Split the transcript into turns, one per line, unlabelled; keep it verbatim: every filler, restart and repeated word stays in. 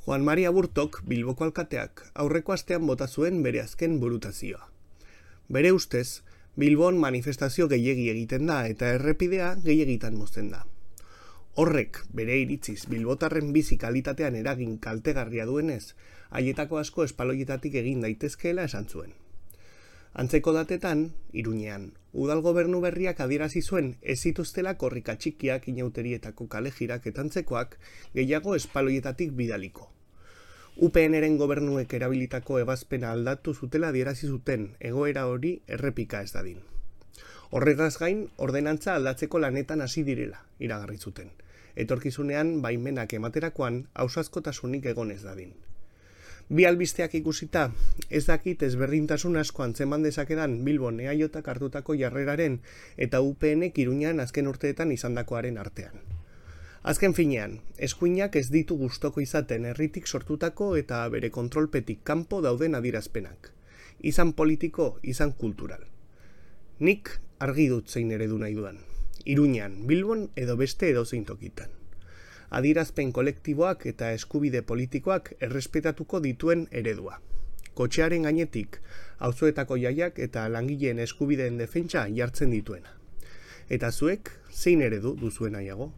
Juan Mari Aburtok, Bilboko alkateak, aurreko astean bota zuen bere azken burutazioa. Bere ustez, Bilbon manifestazio gehiegi egiten da eta errepidea gehiegitan mozten da. Horrek, bere iritziz, bilbotarren bizi kalitatean eragin kaltegarria duenez, haietako asko espaloietatik egin daitezkeela esan zuen. Antzeko datetan, Iruñean, udal gobernu berriak adierazi zuen ez zituztela korrika txikiak, inauterietako kalejirak eta antzekoak gehiago espaloietatik bidaliko. U P N-ren gobernuek erabilitako ebazpena aldatu zutela adierazi zuten egoera hori errepika ez dadin. Horretaz gain, ordenantza aldatzeko lanetan hasi direla, iragarri zuten. Etorkizunean baimenak ematerakoan ausazkotasunik egon ez dadin. Bi albisteak ikusita, ez dakit ezberdintasun asko antzeman dezakedan Bilbon E A Jak hartutako jarreraren eta U P N-ek Iruñean azken urteetan izandakoaren artean. Azken finean, eskuinak ez ditu gustoko izaten herritik sortutako eta bere kontrolpetik kanpo dauden adierazpenak. Izan politiko, izan kultural. Nik argi dut zein eredu nahi dudan. Iruñean, Bilbon edo beste edozein tokitan. Adierazpen kolektiboak eta eskubide politikoak errespetatuko dituen eredua. Kotxearen gainetik, auzoetako jaiak eta langileen eskubideen defentsa jartzen dituena. Eta zuek, zein eredu duzuen nahiago?